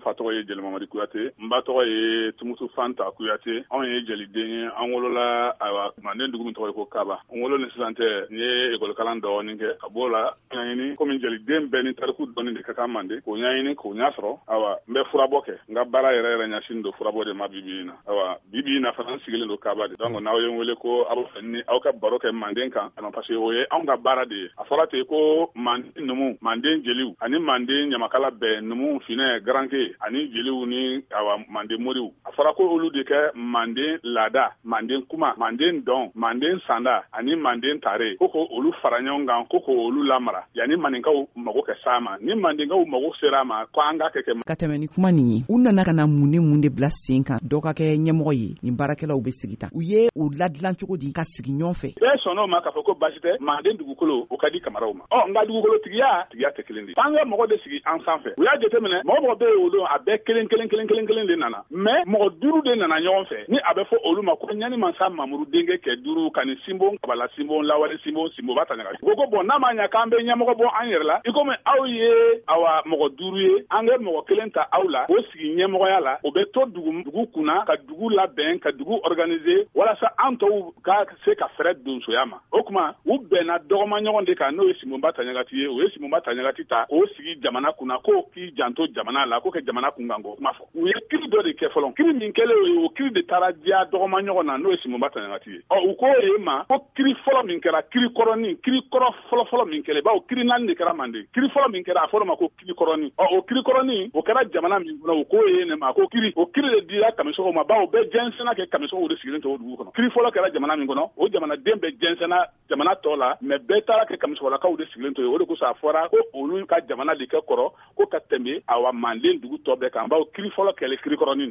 N fa tɔgɔ ye Jeli Mamadi Kuyate, n ba tɔgɔ ye Tumutu Fanta Kuyate. Anw ye jeliden ye, an wolola ayiwa manden dugu min tɔgɔ ye ko Kaba. N wolo ni sisan cɛ, n ye ekɔlikalan dɔɔnin kɛ ka b'o la ɲɛɲini komi jeliden bɛɛ ni tariku dɔɔni de ka kan manden, k'o ɲɛɲini k'o ɲɛ sɔrɔ. Ayiwa, n bɛ furabɔ kɛ, n ka baara yɛrɛ yɛrɛ ɲɛsin don furabɔ de ma bi bi in na. Ayiwa, bi bi in na fana n sigilen don Kaba de. Donc n'aw ye n wele ko aw b'a fɛ ni aw ka baro kɛ manden kan, parce que o ye anw ka baara de ye. A fɔra ten ko manden numu, manden jeliw ani manden ɲamakala bɛɛ, numu, finɛ, garanke ani jeliw ni awa manden moriw, a fɔra ko olu de kɛ manden laada, manden kuma, manden dɔn, manden sanda ani manden tare, ko ko olu fara ɲɔgɔn kan, ko ko olu lamara yanni maninkaw mago kɛ s'a ma. Ni mandenkaw mago sera a ma, ko an k'a kɛ kɛ. Ka tɛmɛ ni kuma nin ye, u nana ka na mun ni mun de bila sen kan dɔ ka kɛ ɲɛmɔgɔ ye? Nin baarakɛlaw bɛ sigi tan, u ye u ladilan cogo di ka sigi ɲɔgɔn fɛ? Bɛɛ sɔnn'o ma k'a fɔ ko baasi tɛ, manden dugukolo o ka di kamaraw ma. Ɔ nka dugukolo tigiya tigiya tɛ kelen de, f'an ka mɔgɔ de sigi an sanfɛ. U y'a jateminɛ, mɔgɔ mɔgɔ bɛ yen o don, a bɛɛ kelen kelen kelen kelen kelen de nana, mais mɔgɔ duuru de nana ɲɔgɔn fɛ, ni a bɛ fɔ olu ma ko ɲani mansa Mamuru denkɛ kɛ duuru ka ni Sinbon Kabala Sinbon Lawale Sinbon Sinboba Taɲaga. Ko ko bɔn, n'a ma ɲa k'an bɛ ɲɛmɔgɔ bɔ an yɛrɛ la, i komi aw ye awa mɔgɔ duuru ye, an kɛ mɔgɔ kelen ta aw la k'o sigi ɲɛmɔgɔya la, o bɛ to dugu kunna ka dugu labɛn, ka dugu organiser walasa an tɔw ka se ka fɛrɛ donsoya ma. O tuma u bɛnna dɔgɔma ɲɔgɔn de kan, n'o ye Sinbonba Taɲagati ye. U ye Sinbonba Taɲagati ta k'o sigi jamana kunna, k'o k'i janto jamana la, k'o kɛ jamana kunkanko kuma fɔ. U ye kiri dɔ de kɛ fɔlɔ, kiri min kɛlen o ye, o kiri de taara diya dɔgɔma ɲɔgɔn na, n'o ye Sinbonba Taɲagati ye. Ɔ u k'o ye ma ko kiri fɔlɔ min kɛra, kiri kɔrɔnin, kiri kɔrɔ fɔlɔ fɔlɔ min kɛra, bawo kiri naani de kɛra manden. Kiri fɔlɔ min kɛra, a fɔra ma ko kiri kɔrɔnin. Ɔ o kiri kɔrɔnin o kɛra jamana min kɔnɔ, u k'o ye ne ma ko kiri, o kiri de dira kamisɔgɔw ma, bawo bɛɛ jɛnsɛnna kɛ kamisɔgɔw de sigilen to o dugu kɔnɔ. Kiri fɔlɔ kɛra jamana min kɔnɔ, o jamanaden bɛɛ jɛnsɛnna jamana tɔ la, mais bɛɛ taara kɛ kamisɔgɔlakaw de sigilen to yen. O de kosɔn a fɔra ko olu ka jamana de kɛ kɔrɔ ko ka tɛmɛ awa manden dugu tɔ bɛɛ kan, bawo kiri fɔlɔ kɛlen kiri kɔrɔnin de.